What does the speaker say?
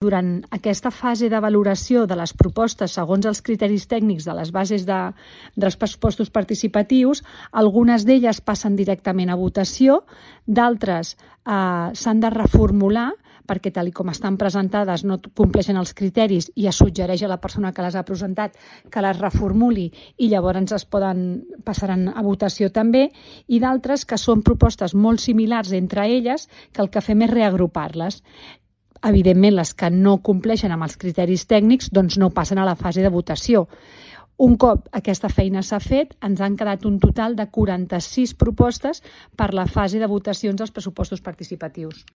Durant aquesta fase de valoració de les propostes segons els criteris tècnics de les bases dels pressupostos participatius, algunes d'elles passen directament a votació, d'altres s'han de reformular perquè tal com estan presentades no compleixen els criteris i es suggereix a la persona que les ha presentat que les reformuli i llavors passaran a votació també, i d'altres que són propostes molt similars entre elles que el que fem és reagrupar-les. Evidentment, les que no compleixen amb els criteris tècnics no passen a la fase de votació. Un cop aquesta feina s'ha fet, ens han quedat un total de 46 propostes per la fase de votacions dels pressupostos participatius.